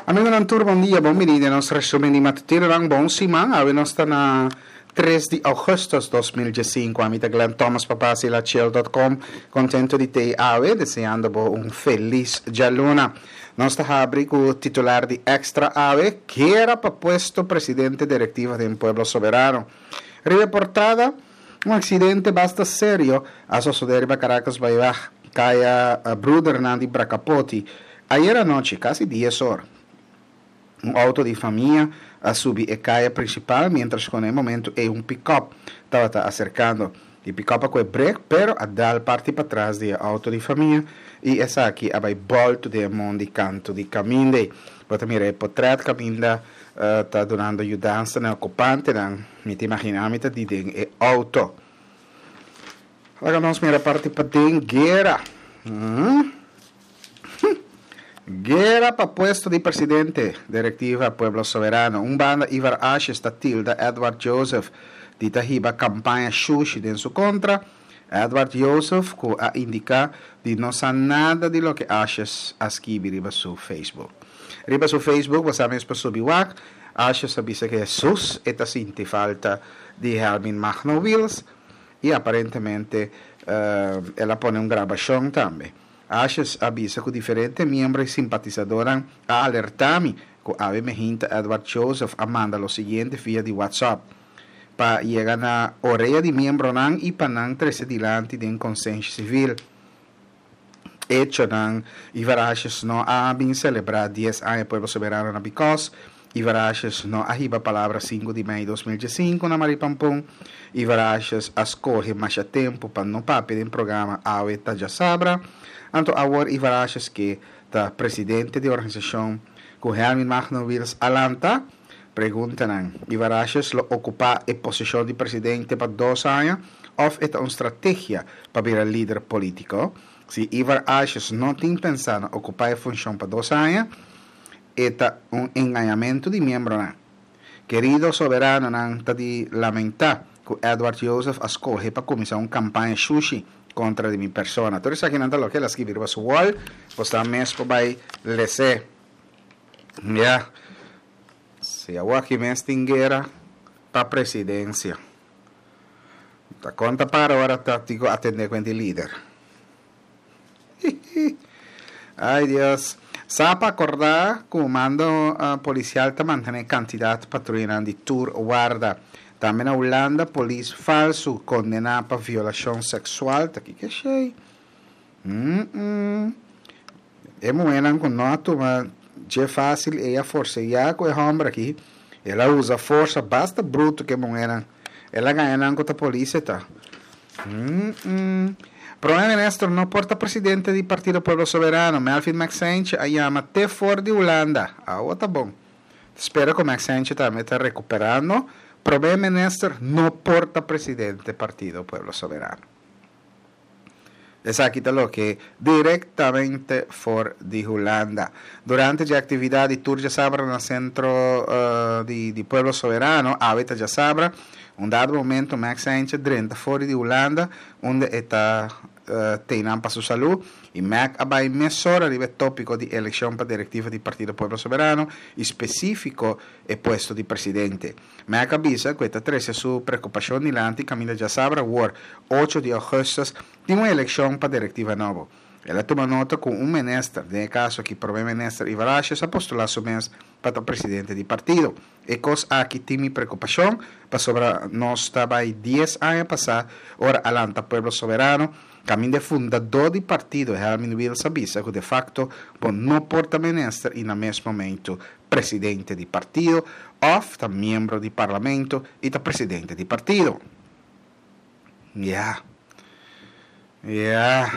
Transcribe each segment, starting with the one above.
Amigonan tur bon dia, bon bini den nos resumen di matutinonan. Bon siman, awe nos ta na 3 di augustus 2015. Ami ta Glenn Thomas pa basilachel.com. Contento di te awe, deseando bo un feliz djaluna. Nos ta habri ku titular di Extra awe, Guera pa puesto presidente directiva den Pueblo Soberano. Riba e portada, un accidente basta serio a sosode riba Caracas Bayweg, kaya Broedernan di Bracapoti, Ayera anochi, kasi dies or, un outo di famia a subi e kaya prinsipal miéntras ku na e momentu ei un pikòp tabata aserkando. E pikòp a kue brek pero a dal parti patras di e outo di famia i esaki a bai bòltu den e mondi kantu di kaminda. Bo ta mira e potrèt kaminda ta dunando yudansa na e okupantenan. Mi ta imaginá mi ta di den e outo. Laga nos mira parti paden guera. Guera pa puesto di presidente, Directiva Pueblo Soberano. Un banda Ivar Asjes ta tilda Edward Joseph di ta hiba campaña shushi den su contra. Edward Joseph cu a indica di no sa nada di loke Asjes a skibi riba su Facebook. Riba su Facebook bo sa mes por subi wak, Asjes a bisa cu Jesus e ta sinti falta di Helmin Magno Wiels y aparentemente el a pone un grabacion tambe. Asjes a bisa ku diferente miembro i simpatisadornan a alertá mi ku awe mehinta Edward Joseph a manda lo siguiente via di WhatsApp pa yega na orea di miembronan i pa nan trese dilanti den konsenshi sivil. Echonan, Ivar Asjes no a bin selebrá dies aña Pueblo Soberano na Bikòs Ivar Asjes no a hiba palabra sinku di mei 2015 na Maripampun. Ivar Asjes a skohe masha tempu pa no papia den programa Awe ta Djasabra. Anto awor Ivar Asjes ke ta presidente di organisashon ku Helmin Magno Wiels a lanta? Preguntanan, Ivar Asjes lo okupá e posishon di presidente pa dos aña òf e ta un strategia pa bira lider polítiko? Si Ivar Asjes no tin pensá na okupá e funshon pa dos aña, E ta un engañamentu di miembronan. Kerido soberanonan ta di lamentá ku Edward Joseph a skohe pa kuminsá un kampaña shushi kontra di mi persona. Tur esakinan ta loke el a skibi riba su wall, bo sa mes por bai les'é. Ya. Si awor aki mes tin guera pa presidensia. Ta konta para ora ta tin ku atendé ku hende lider. Ay Dios. Sa pa acorda cu mando policial ta mantene cantidad patruyanan di tur warda. Tambe na Hulanda polis falsu condena pa violacion sexual. Ta kiko esey? Mm-mm. E muhernan cu no a tuma dje facil ey a forceya cu e homber aki. El a usa forsa basta bruto cu e muhernan. El a gaña nan cu ta polis e ta. Prome Minister no por ta presidente di Partido Pueblo Soberano, Melvin Maxentje a yama te for di Hulanda. Awo ta bon. Ta spera cu Maxentje tambe ta recuperando. Prome Minister no por ta presidente Partido Pueblo Soberano. Esaki ta loke directamente for di Hulanda. Durante dje actividad di tur djasabra na Centro di Pueblo Soberano, awe ta djasabra, un dado momento Max Heintje drenta for di Hulanda unda e ta teinan pa su salú y Mac a bai mesora riba e tópiko di elekshon pa direktiva di Partido Pueblo Soberano y spesífiko e puesto di presidente. Mac a bisa ku e ta trese su preokupashon dilanti kaminda djasabra awor, ocho di ougùstùs, tin un elekshon pa direktiva nobo. El a tuma nota ku un minister, den e kaso aki Prome Minister Ivar Asjes a postulá su mes pa ta presidente di partido. E kos aki tin mi preokupashon pasobra nos ta bai dies aña pasá ora a lanta Pueblo Soberano, kaminda e fundadó di partido Helmin Wiels a bisa ku de fakto bo no por ta minister i na mes momento presidente di partido òf ta miembro di parlamento i ta presidente di partido. Ya. Ya.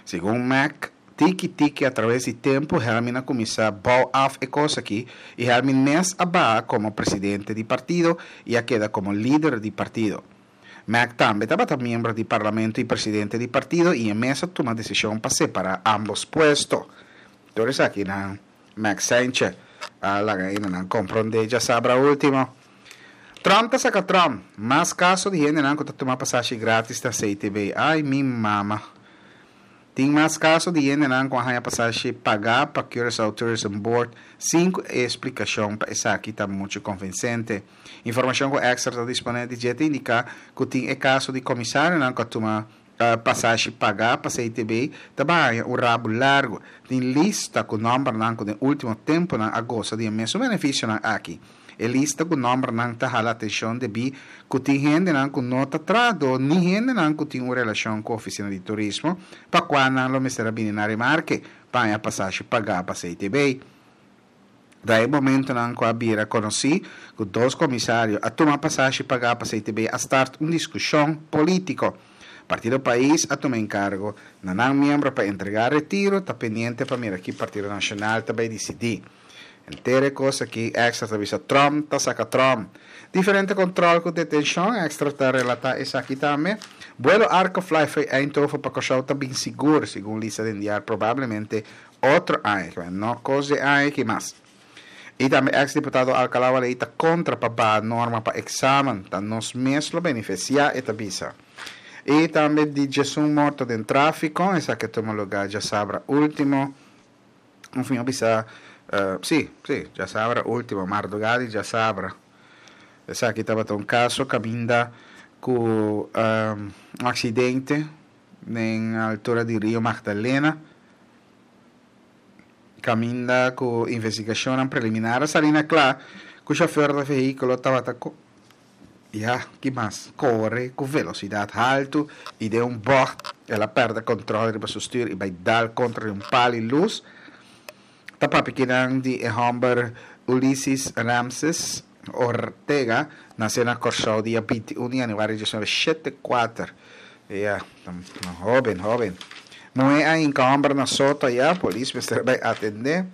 Segun Mac, tiki tiki a traves di tempu Helmin a kuminsá bou af e kos aki i Helmin mes a baha komo presidente di partido i a keda komo lider di partido. Mac tambe tabata miembro di parlamento i presidente di partido i e mes a tuma desishon pa separá ámbos puesto. Tur esakinan Mac Saintje a laga hendenan komprondé djasabra último. Trump ta saka Trump, Mas kaso di hendenan ku ta tuma pasashi gratis na CTB. Ai mi mama. Tin mas kaso di hendenan ku a haña pasashi pagá pa Curaçao Tourism Board sin ku e splikashon pa esaki ta muchu konvinsente. Informashon ku Extra ta disponé di dje ta indiká ku tin e kaso di komisarionan ku a tuma pasashi pagá pa CTB ta baña un rabu largu. Tin lista ku nòmbernan ku den último tempunan a gosa di e mesun benefisionan aki. E lista ku nòmbernan ta hala atenshon debí ku tin hendenan ku no ta trahadó ni hendenan ku tin un relashon ku ofisina di turismo pa kua nan lo mester a bini na remarke pa haña pasashi pagá pa CTB. Da e momentonan ku a bira konosí ku dos komisario a tuma pasashi pagá pa CTB a start un diskushon polítiko. Partido Pais a tuma enkargo na nan miembro pa entregá retiro, ta pendiente pa mira ki Partido Nashonal ta bai disidí. Henter e kos aki Extra ta bisa Trump ta saka Trump. Diferente kontrol ku detenshon, Extra ta relatá esaki tambe. Buelo Arcofly fo'i Eindhoven pa Kòrsou ta bin sigur, segun lista den diar probablemente otro aña. Kiba no kos di e aña aki mas. I tambe eks diputado Alcalá Waley ta kontra pa baha norma pa eksamen. Ta nos mes lo benefisiá, e ta bisa. I tambe di djesun morto den tráfiko, esaki a tuma lugá djasabra último. Un fin a bisa, sí, sí, djasabra último, mardugá di djasabra. Esaki tabata un kaso kaminda ku un aksidente den altura di Rio Magdalena, kaminda ku investigashonnan preliminar a sali na kla ku shofèr di vehíkulo tabata Ya, ki mas? Kore ku velosidat haltu i den un bògt el a pèrdè kòntròl riba su stür i bai dal kontra di un pal i lus. Ta papia kinan di e hòmber Ulises Ramses Ortega, nasé na Kòrsou dia 21 di yanüari 1974. Ya, ta hóben, hóben. Muhé a hinka hòmber na soto ayá, polis mester bai atendé.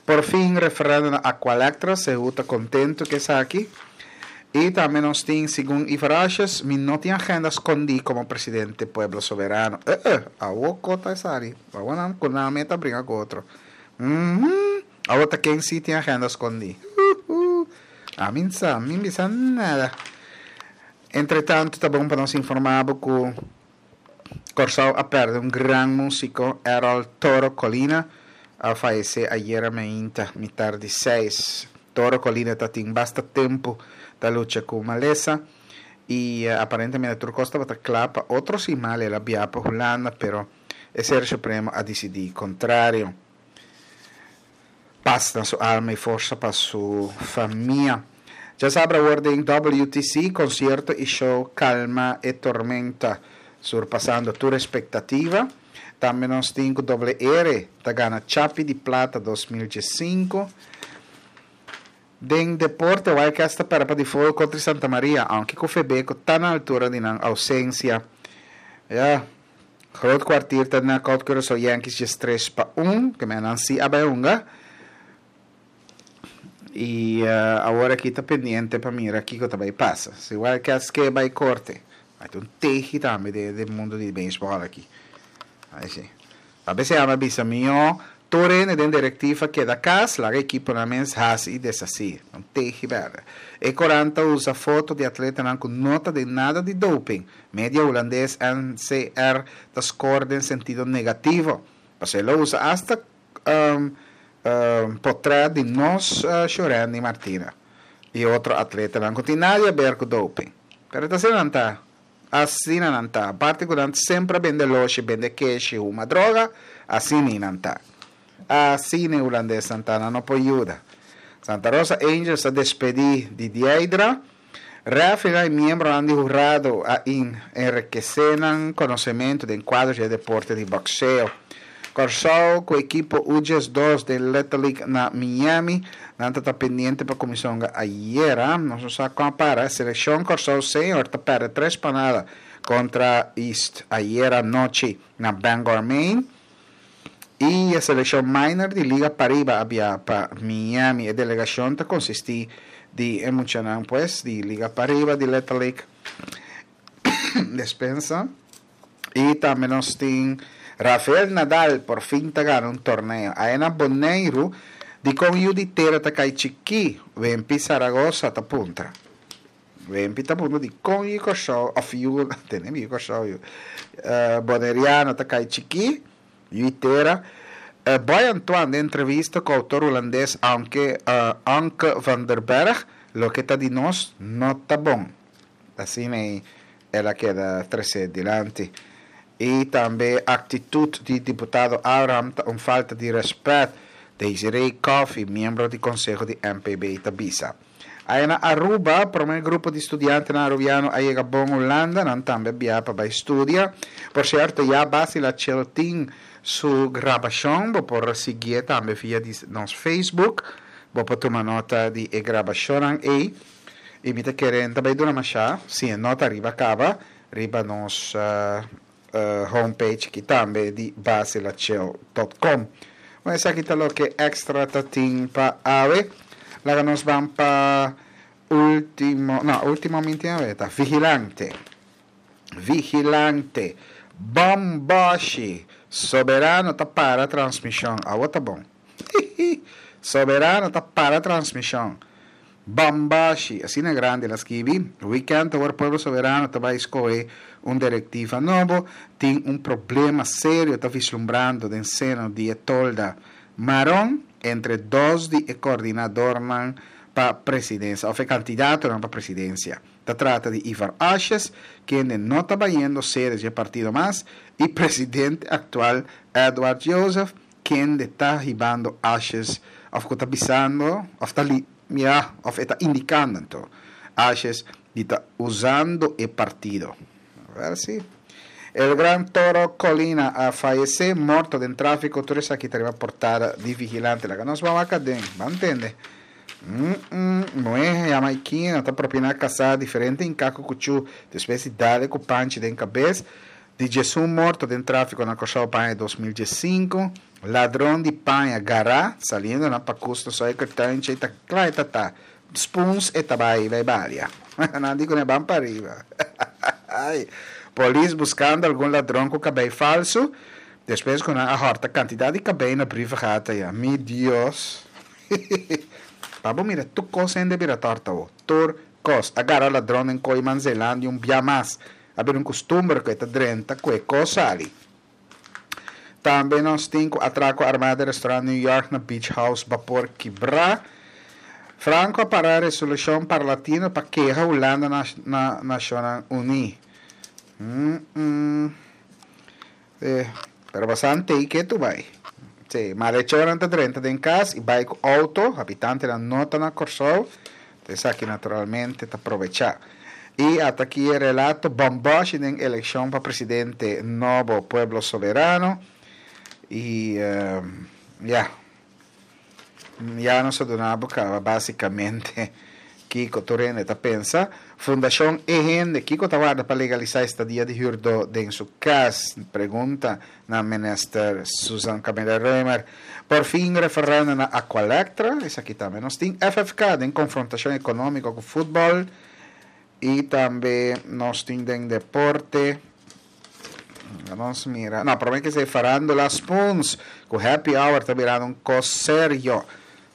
Por fin referendo na Aqualectra, Sehu ta contento cu esaki. Y tambe nos tin, segun Ivar Asjes, mi no tin agenda scondi como presidente Pueblo Soberano. Eh eh, awo co ta esaki? Awo nan cu nan meta bringa cu otro. Uhmm, awo ta ken si tin agenda scondi? Huhu, ami n'sa, mi n'bisa nada. Entretanto ta bon pa nos informa bo cu. Kòrsou a pèrdè un gran músiko, Errol Toro Colina a fayesé ayera meinta mitar di seis. Toro Colina ta tin basta tempu ta lucha ku malesa i aparentemente tur kos tabata kla pa otro siman el a biaha pa Hulanda pero e Ser Supremo a disidí kontrario. Pas na su alma i forsa pa su famia. Djasabra awor den WTC, konsierto i show Kalma e Tormenta, surpasando tur espektativa. Tambe nos tin ku Doble R ta gana Chapi di Plata 2015. Den deporte, Wild Cats ta pèrdè pa default kontra Santa Maria, aunke ku Febeko ta na altura di nan ousensia. Ya. Groot Kwartier ta knockout Curaçao Yankees 13-1, ke men nan si a bai hunga. I awor aki ta pendiente pa mira kiko ta bai pasa. Si Wild Cats ke bai korte, bai ta un tehi tambe den den mundo di beisbòl aki. Ai si. A bes e bisa mihó tur hende den direktiva keda kas, laga ekiponan mes hasi i deshasí. Un tehi bèrdè. E korant ta usa foto di atletanan ku no ta den nada di doping. Media hulandes NCR ta score den sentido negativo. Pasobra e lo usa asta potrèt di nos Shurendy Martina i otro atletanan ku tin nada di aber ku doping. Pero ta asina nan ta. Asina nan ta. Aparte ku nan semper a bende loshi, bende keshi, huma droga, asina nan ta. Asina e hulandesnan ta, nan no por yuda. Santa Rosa Angels a despedí di Dieidra. Referee i miembronan di hurado a enrekesé nan konosementu den kuadro dje deporte di bokseo. Kòrsou ku ekipo U12 den Little League na Miami. Nan ta ta pendiente pa kuminsá hunga ayera. Nos no sa kon a para. Selekshon Kòrsou Senior ta pèrdè tres pa nada kontra East ayera nochi na Bangor, Maine. I e selekshon minor di Liga Pariba a biaha pa Miami. E delegashon ta konsistí di e muchanan pues di Liga Pariba di Little League. Despensa. I tambe nos tin Rafael Nadal por fin ta gana un torneo. Aya na Boneiru, dikon yu di tera ta kai chikí? Wempi Saragoza ta puntra. Wempi ta puntra dikon yu Kòrsou òf yu, tene mi yu Kòrsou yu, Boneriano ta kai chikí? Yu tera. Boy Antoine den entrevista ku outor hulandes Anke Anke van der Berg, Loke ta di nos no ta bon. Asina ei el a keda tresé dilanti. I tambe aktitut di diputado Abraham ta un falta di rèspèt, Desiree Coffie, miembro di konseho di MPB ta bisa. Aya na Aruba, promé grupo di studiantenan arubiano a yega bon Hulanda, nan tambe a biaha pa bai studia. Por sierto, ya Basila Chel tin su grabashon, bo por siguié tambe via di nos Facebook, bo por tuma nota di e grabashonnan ei. I mi ta kere N ta bai duna mashá, si e no ta riba kaba, riba nos homepage aki tambe di basilachel dot com. Bon, esaki ta loke extra ta tin pa awe. Laga nos ban pa ultimo, no, ultimo mi tin awe ta Vigilante. Vigilante. Bomboshi. Soberano ta para transmishon. Awo ta bon. Soberano ta para transmishon. Bambashi, asina grandi el a skibi, Weekend awor Pueblo Soberano ta bai skohe un direktiva nobo, tin un problema serio ta vislumbrando den seno di e tolda maron entre dos di e kordinadornan pa presidensia of e kandidatonan pa presidensia. Ta trata di Ivar Asjes, kende no ta bayendo sede dje partido mas, i presidente aktual Edward Joseph, Kende ta hibando ashes of ku ta bisando of ta li ya of e ta indikando anto ashes di ta usando e partido. Wel si. El gran Toro Colina a fayece morto den trafico tur esaki ta riba portada di Vigilante. Laga nos ban wak aden. Ban tende. Mm muhe Jamaiquino ta propina casa diferente hinca cu cuchu despues di dale cu panchi den cabes. Di djesun morto den tráfiko na Kòrsou pa aña 2015, ladron di paña gará saliendo na pakus na Suikertuintje ta kla e ta ta spoons e ta bai bai balia. Nan di ku ne ban pariba. Polis buskando algun ladron ku kabei falsu despues ku nan a hòrta kantidat di kabei na Brievengat aya. Mi Dios. Pa bo mira tur kos hende bira tòrta awo. Tur kos. A gara ladron den Kooiman Zeelandia un bia mas. A bira un kustumber ku e ta drenta ku e kos sali. Tambe nos tin ku atrako armá den restaurant New York na Beach House bapor kibrá. Franco a para resolushon Parlatino pa keha Hulanda na na Nashonnan Uní. Mm-mm. Eh, pero basante ei ke tu bai. Sí, malechornan ta drenta den kas i bai ku outo, habitantenan no ta na Kòrsou, ta esaki naturalmente ta probechá. I ata aki e relato bòmbòshi den elekshon pa presidente nobo Pueblo Soberano i ya. Ya nos a duna bo kaba básikamente kiko tur hende ta pensa. Fundashon E Hende, kiko ta warda pa legalisá estadia di hürdó den su kas? Pregunta na Minister Susan Camelia Römer. Por fin referèndum na Aqualectra, esaki tambe nos tin. FFK den konfrontashon ekonómiko ku futbòl i tambe nos tin den deporte. Nos mira. No, prome que se farándula Spoons cu happy hour ta birando un cos serio.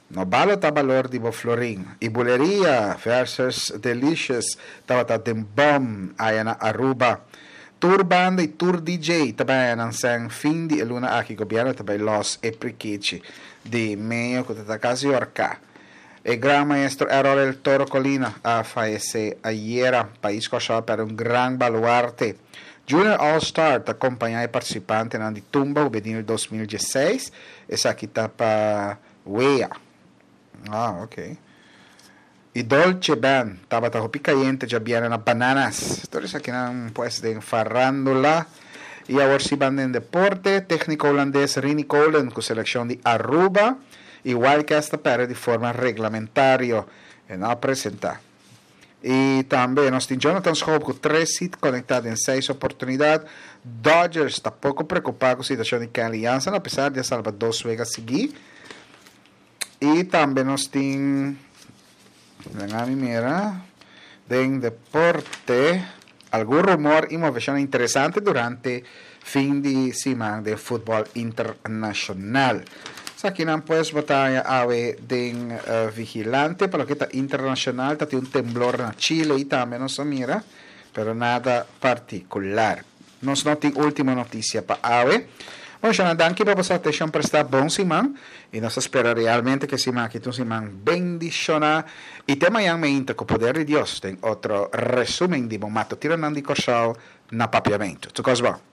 No balo ta balor di bo florin. Y buleria versus Delicious tabata den bom aya na Aruba. Tur banda y tur DJ ta bay aya nan sen fin di e luna aki gobierno ta bay los e prikichi di meyo cu ta ta casi horca. E gran maestro Errol El Toro Colina a fayesé ayera. Pais Kòrsou a pèrdè un gran baluarte. Junior All Star ta kompañá e partisipantenan di Tumba Hubenil 2016. Esaki ta pa wea. Ah, ok. I Dolce Band tabata hopi kayente djabièrnè na Bananas. Tur esakinan pues den farándula. I awor si ban den deporte. Tékniko hulandes Rini Kolen ku selekshon di Aruba. Igual ke hasta perde di forma reglamentario. E no a presenta. Y tambe nos tin Jonathan Schoop cu tres hit conecta den seis oportunidad. Dodgers ta poco preocupa cu situacion di Kenley Jansen apesar di a salba dos wega sigui. Y tambe nos tin, laga mi mira, den deporte algun rumor y movecion interesante durante fin di siman den futbol internacional. Esakinan pues bo ta haña awe den Vigilante. Pa loke ta internacional ta tin un temblor na Chile y tambe nos a mira, pero nada particular. Nos no tin ultimo noticia pa awe. Bon, shana, danki pa boso atenshon prestá. Bon siman. I nos ta spera realmente ku e siman aki ta un siman bendishoná. I te mañan meinta ku poder di Dios den otro resumen di bo matutinonan di Kòrsou na Papiamentu. Tur kos bon.